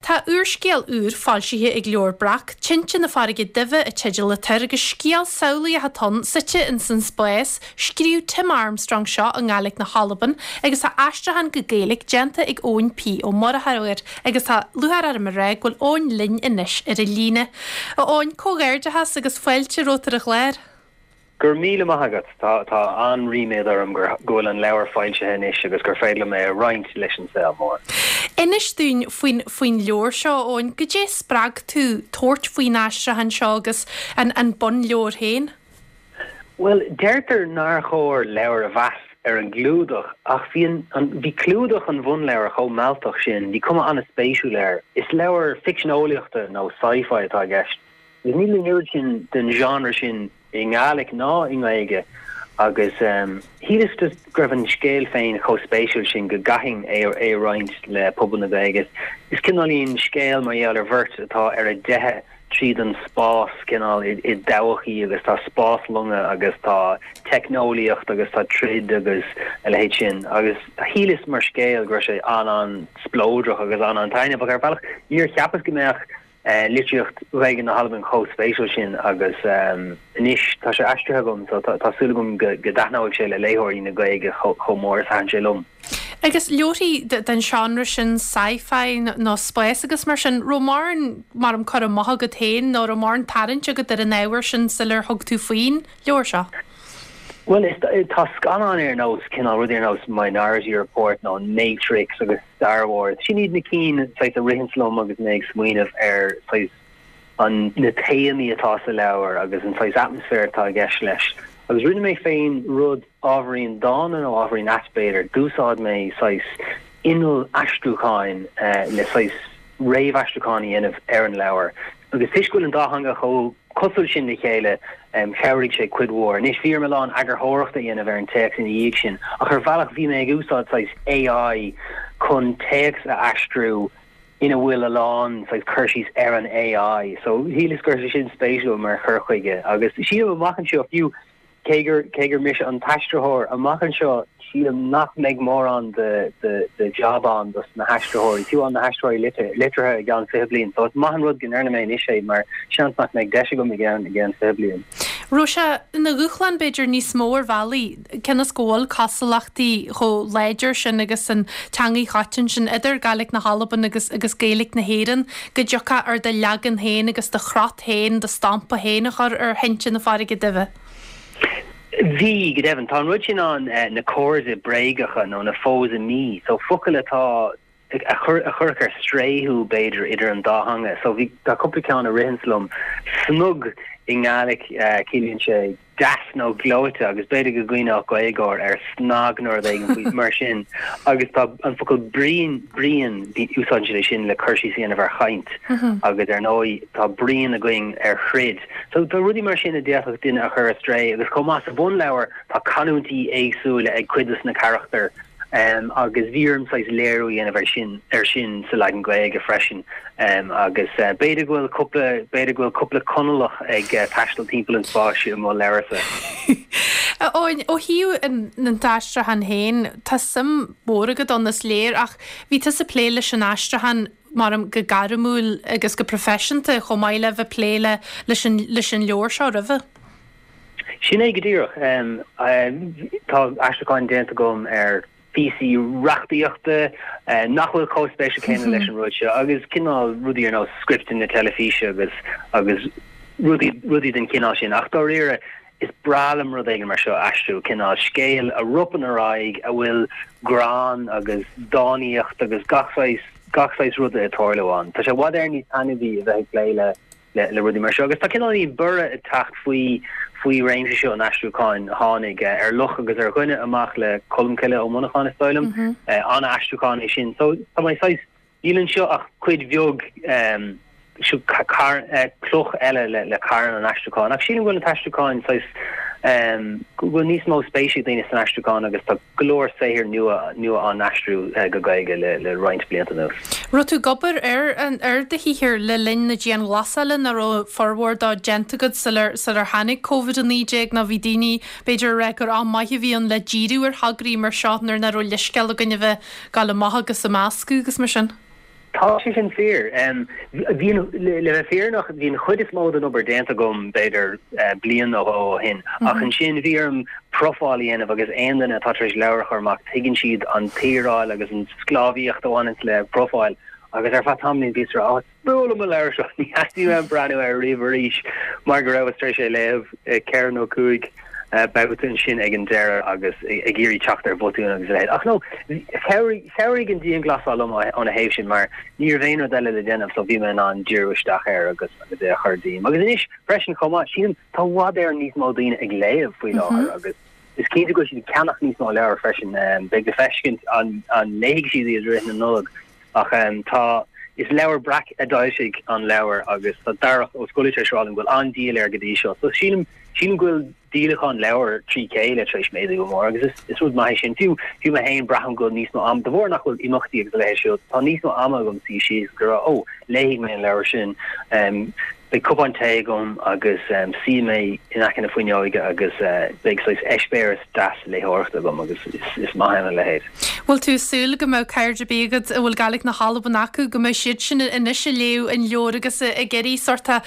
Tá úrscéal úr foilsithe ag Leabhar Breac, Tinte na Farraige Duibhe an teideal atá air agus scéal samhlaíoch atá ann, suite ins an spás. Scríobh Tim Armstrong seo i nGàidhlig na hAlban agus tá aistriúchán go Gaeilge déanta ag Eoin P. Ó Murchú air agus tá lúcháir orm a rá go bhfuil Eoin linn anois ar an líne. A Eoin, comhghairdeachas agus fáilte romhat ar an chlár. Go raibh míle maith agat. Tá tá an-ríméad orm gur go bhfuil an leabhar foilsithe anois agus gur féidir liom é a roinnt leis an saol mór. Inis dúinn faoin faoin leabhar seo, Eoin. Goidé a spreag tú tabhairt faoin aistriúchán seo agus an an bunleabhar féin? Bhuel, deirtear nár chóir leabhar a mheas ar an gclúdach ach bhí an an bhí clúdach an bhunleabhair chomh mealltach sin, bhí cuma an-spéisiúil air. Is leabhar ficsean eolaíochta nó sci-fi atá i gceist. Agus níl an oiread sin den genre sin i nGàidhlig ná i nGaeilge agus shíleas just go raibh an scéal féin chomh spéisiúil sin go gcaithfinn é a roinnt le pobal na Gaeilge. Is cineáilín scéal mar gheall ar bheirt atá ar a dteitheadh tríd an spás cineál i dtodhchaí agus tá spáslonga agus tá teicneolaíocht agus tá troid agus a leithéid sin agus shíleas mar scéal go raibh sé an-an-spleodrach agus an-an-taitneamhach ar bhealach. Níor cheapas go mbeadh litríocht Ghaeilge na hAlban chomh spéisiúil sin agus anois tá sé aistrithe agam so tá súil agam go dtaitneoidh sé le léitheoirí na Gaeilge chomh mór is a thaitin sé liom. Agus leabharthaí den seánra sin, sci-fi nó spás agus mar sin, raibh mórán mar um cur amach agat féin nó raibh mórán tarraingt agat ar an ábhar sin sular thug tú faoin leabhar seo? Bhuel, tá scannáin ar nós, cineál rudaí ar nós Minority Report nó Matrix agus Star Wars, sin iad na cinn saghas a ritheanns liom agus mé ag smaoineamh ar saghas an na téamaí atá sa leabhar agus an saghas atmaisféar atá i gceist leis. Agus rinne mé féin rud ábhairín dána nó ábhairín ait b'fhéidir, d'úsáid mé saghas inneall aistriúcháin le saghas réamhaistriúchán a dhéanamh ar an leabhar. Agus toisc go bhfuil an dá theanga chomh cosúil sin le chéile, chabhraigh sé cuid mhór. Anois, bhí orm a lán eagarthóireachta a dhéanamh ar an téacs ina dhiaidh sin, ach ar bhealach bhí mé ag úsáid saghas AI chun téacs a aistriú ina bhfuil a lán saghas cur síos ar an AI. So, shíleas go raibh sé sin spéisiúil mar chur chuige. Agus sílim amach anseo, fiú, Cé gur, cé gur mise an t-aistritheoir, amach anseo, sílim nach mbeidh mórán de, de, de jab ann dos na haistritheoirí, fiú amháin na haistritheoirí liteartha i gceann 20 bliain. So is maith an rud go ndearna mé anois é mar seans nach mbeidh deis agam i gceann, i gceann 20 bliain. Raibh sé ina dhúshlán b'fhéidir níos mó ar bhealaí, cionn is go bhfuil cosúlachtaí chomh láidir sin agus an teangaidh choiteann sin idir Gàidhlig na hAlban agus agus Gaeilge na hÉireann, go dtiocfadh ort do leagan féin agus do chrot féin, do stampa féin a chur ar Thinte na Farraige Duibhe. Bhí, go deimhin. Tá an rud sin ann, na comharthaí bréagacha nó na faux amis, so focail atá, a chuirfeadh ar strae thú, b'fhéidir, idir an dá theanga. So bhí, tá cúpla ceann a ritheanns liom. Snug i nGàidhlig, ciallaíonn sé deas nó gleoite agus b'fhéidir go gcuimhneodh Gaeilgeoir ar snag nó rud éigin faoi mar sin. Agus tá an focal bruíon, bruíon, úsáideann siad é sin le cur síos a dhéanamh ar chaint agus ar ndóigh tá bruíon againn ar throid. So tá rudaí mar sin a d'fhéadfadh duine a chur ar strae agus chomh maith sa bhunleabhar tá canúintí éagsúla ag cuid dos na carachtair agus bhí orm saghas léiriú a dhéanamh ar sin ar sin sa leagan Gaeilge freisin agus b'fhéidir go bhfuil cúpla b'fhéidir go bhfuil cúpla Conallach ag taisteal timpeall an spáis i mo leabharsa. A Eoin, ó thaobh an t-aistriúchán féin, tá suim mhór agat ann is léir ach bhí tusa ag plé leis an aistriúchán maram, go gairmiúil agus go proifisiúnta chomh maith le bheith ag plé le leis an leis an leabhar seo roimhe. Sin é go díreach. Tá aistriúcháin déanta agam ar phíosaí reachtaíochta nach bhfuil chomh spéisiúil céanna leis an rud seo agus cineál rudaí ar nós scripteanna teilifíse agus agus rudaí rudaí den chineál sin ach dáiríre Is breá liom rud éigin mar seo a aistriú, cineál scéal a ropann ar aghaidh, a bhfuil greann agus dánaíocht agus gach saghas, gach saghas ruda ag tarlú ann. Tá sé i bhfad Éireann níos taitneamhaí a bheith ag plé le, le, le rudaí mar seo. Agus tá cineáilín borradh ag teacht faoi, faoi réimse seo an aistriúcháin. Tháinig Ar Luch agus ar Dhuine amach le Colmcille Ó Monacháin, is dóigh liom. An-aistriúchán é sin. So tá mé saghas. Níl anseo ach cuid bheag, seo cloch eile le carn an aistriúcháin. Ach sílim go bhfuil an t-aistriúchán saghas, go bhfuil níos mó spéise ag daoine san aistriúchán agus tá go leor saothair nua nua á n-aistriú go Gaeilge le roinnt blianta anuas. Raibh tú ag obair ar ar do shaothar le linn na dianghlasála nó raibh formhór dó déanta agat sular sular tháinig Covid-19 nó bhí daoine b'fhéidir ag rá gur am maith a bhí ann le díriú ar thograí mar seo nuair nach raibh leithscéal againn a bheith Gabháil amach agus ag meascadh agus mar sin. Tá sé sin fíor. Bhí an, le bheith fírinneach, bhí an chuid is mó den obair déanta agam b'fhéidir bliain nó dhó ó shin ach ansin bhí orm profáil a dhéanamh agus aon duine atá tar éis leabhar a chur amach tuigeann siad an tsaoráil agus an sclábhaíocht a bhaineanns le profáil agus ar feadh tamaillín bhíos ag rá oh, fuath liom an leabhar seo, ní theastaíonn uaim breathnú air riamh arís mar go rabhas tar éis é a léamh ceithre nó cúig babhta ansin ag an deireadh agus ag iarraidh teacht ar bhotúin agus a leithéid. Ach no, chabhraigh, chabhraigh an dianghlasáil liom óna thaobh sin mar ní raibh aon rud eile le déanamh so bhí mé in ann díriú isteach air agus agus é a chur díom. Agus anois freisin chomh maith, sílim, tá i bhfad Éireann níos mó daoine ag léamh faoi láthair agus is cinnte go bhfuil siad ag ceannach níos mó leabhar freisin. Beidh le feiscint an an léifidh siad iad i rith na Nollag. Ach tá, is Leabhar Breac a d'fhoilsigh an leabhar agus tá Darach Ó Scolaí tar éis rá liom go bhfuil an-díol air go dtí seo. So sílim, sílim go bhfuil díolachán leabhar trí chéile tar éis méadú go mór agus is, is rud maith é sin. Fiú, fiú mé féin braithim go bhfuil níos mó ama, de bharr nach bhfuil imeachtaí agus a leithéid siúd, tá níos mó ama agam suí síos agus a rá, oh, léifidh mé an leabhar sin. Beidh cupán tae agam agus suífidh mé in aice na fuinneoige agus beidh saghas eispéireas deas léitheoireachta agam agus is maith ann a leithéid. Bhfuil tú ag súil go mbeadh cairde ar bith agat a bhfuil Gaeilge na hAlban acu, go mbeidh siad sin anois ag léamh an leabhair agus ag iarraidh sórt a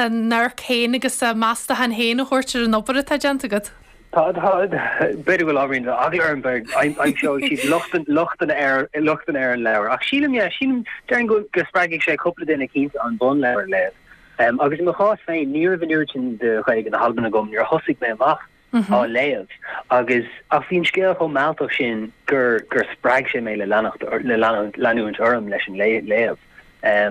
n-amharc féin agus a meastachán féin a thabhairt ar an obair atá déanta agat? Tá, tá, b'fhéidir go bhfuil ábhairín d'eagla orm, aimseoidh siad lochtanna ar, lochtanna ar an leabhar. Ach sílim, yeah, sílim, déarfainn go, go spreagfaidh sé cúpla duine cinnte an bunleabhar a léamh. Agus i mo chás féin, ní raibh an oiread sin de Ghaeilge na hAlban agam nuair a thosaigh mé amach á léamh. Agus, ach bhí an scéal chomh mealltach sin gur, gur spreag sé mé le leanacht, le leanúint orm leis an léamh.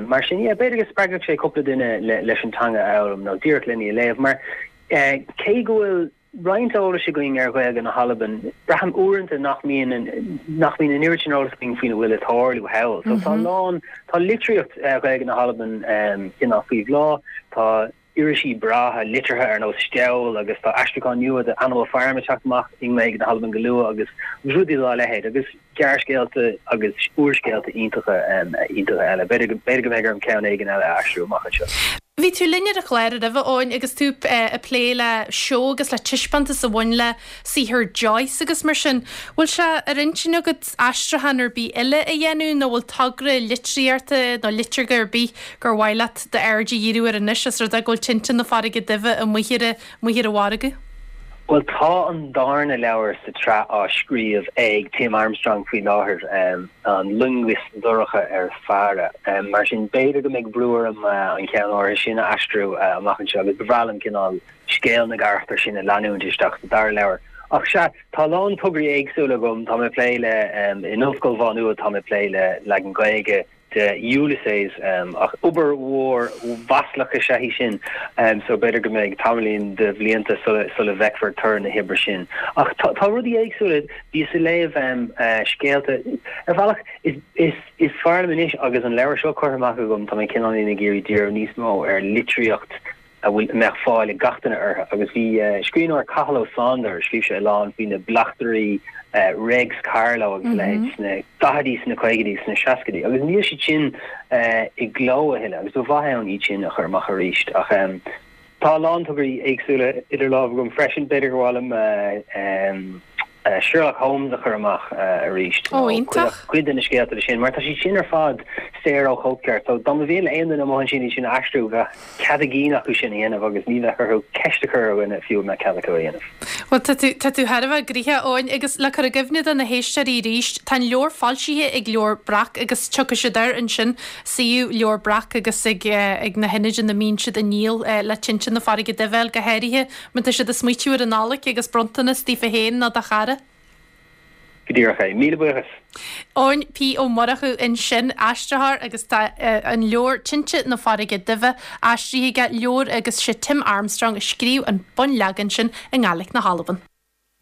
Mar sin, yeah, b'fhéidir go spreagfadh sé cúpla duine le, leis an teanga a fhoghlaim nó díreach len í a léamh. Mar Cé go bhfuil roinnt eolais againn ar Ghaeilge na hAlban, braithim uaireanta nach mbíonn nach mbíonn an oiread sin eolais againn faoina bhfuil ag tarlú thall. So tá a lán, tá litríocht Ghaeilge na hAlban cineál faoi bhláth, tá irisí breátha liteartha ar nós Steall agus tá aistriúchán nua de Animal Farm ag teacht amach i nGaeilge na hAlban go luath agus rudaí dá leithéid agus gearrscéalta agus úrscéalta iontacha iontacha eile. B'fhéidir b'fhéidir go mbeidh orm ceann éigin eile a aistriú amach anseo. Bhí tú linn ar an chlár roimhe, Eoin, agus tú ag plé le seó agus le taispeántas a bhain le saothar Joyce agus mar sin. Bhfuil sé ar intinn agat aistriúchán ar bith eile a dhéanamh nó bhfuil togra litríochta nó liteartha ar bith gur mhaith leat d'aird a dhíriú air anois os rud é go bhfuil Tinte na Farraige Duibhe amuigh ar amuigh ar an mhargadh? Bhuel, tá an darna leabhar sa tsraith á scríobh ag Tim Armstrong faoi láthair, An Loingeas Dorcha ar Faire. Mar sin, b'fhéidir go mbeidh brú orm an ceann áirithe sin a aistriú amach anseo agus ba bhreá liom cineál scéal na gcarachtar sin a leanúint isteach sa dara leabhar. Ach sea, tá a lán tograí éagsúla agam. Tá mé ag plé le, in Ollscoil Mhá Nuad, tá mé ag plé le leagan Gaeilge de Ulysses, ach obair mhór mhaslach is ea í sin, so b'fhéidir go mbeidh tamaillín de bhlianta sula bhfeicfear toradh na hoibre sin. Ach tá rudaí éagsúla, bhíos ag léamh scéalta, ar bhealach is fearr liom anois agus an leabhar seo curtha amach agam, tá mé cineáilín ag iarraidh díriú níos mó ar litríocht a bhfuil, a mbeadh fáil ag gach duine orthu. Agus bhí scríbhneoir Cathal Ó Sándair, scríobh sé a lán faoi na bleachtairí Réics Carló agus a leithéid sna daichidí, sna caogaidí, sna seascaidí, agus níl siad sin i gcló a thuilleadh agus ba mhaith ann iad sin a chur amach arís. Ach tá a lán tograí éagsúla idir lámha agam freisin. B'fhéidir gur mhaith liom Sherlock Holmes a chur amach arís, nó iontach. cuid de na scéalta de sin, mar tá siad sin ar fad saor ó chóipcheart. So dá mba mhian le aon duine amuigh ansin iad sin a aistriú, bheadh cead a gcinn acu sin a dhéanamh agus ní bheadh orthu ceist a chur ar dhuine fiú an mbeadh cead acu a dhéanamh. Bhuel, tá tú, tá tú thar a bheith gnoitheach, Eoin, agus le cur i gcuimhne do na héisteoirí arís, tá an leabhar foilsithe ag Leabhar Breac agus tiocfaidh siad air ansin, suíomh Leabhar Breac agus ag, ag na hionaid ina mbíonn siad á ndíol le Tinte na Farraige Duibhe a fháil go háirithe. Má tá siad ag smaoitiú ar an Nollaig agus bronntanas daofa féin nó do chara. Go díreach é. Míle buíochas. Eoin P. Ó Murchú ansin, aistritheoir agus tá an leabhar Tinte na Farraige Duibhe aistrithe aige, leabhar agus sé Tim Armstrong a scríobh an bunleagan sin i nGaelic na hAlban.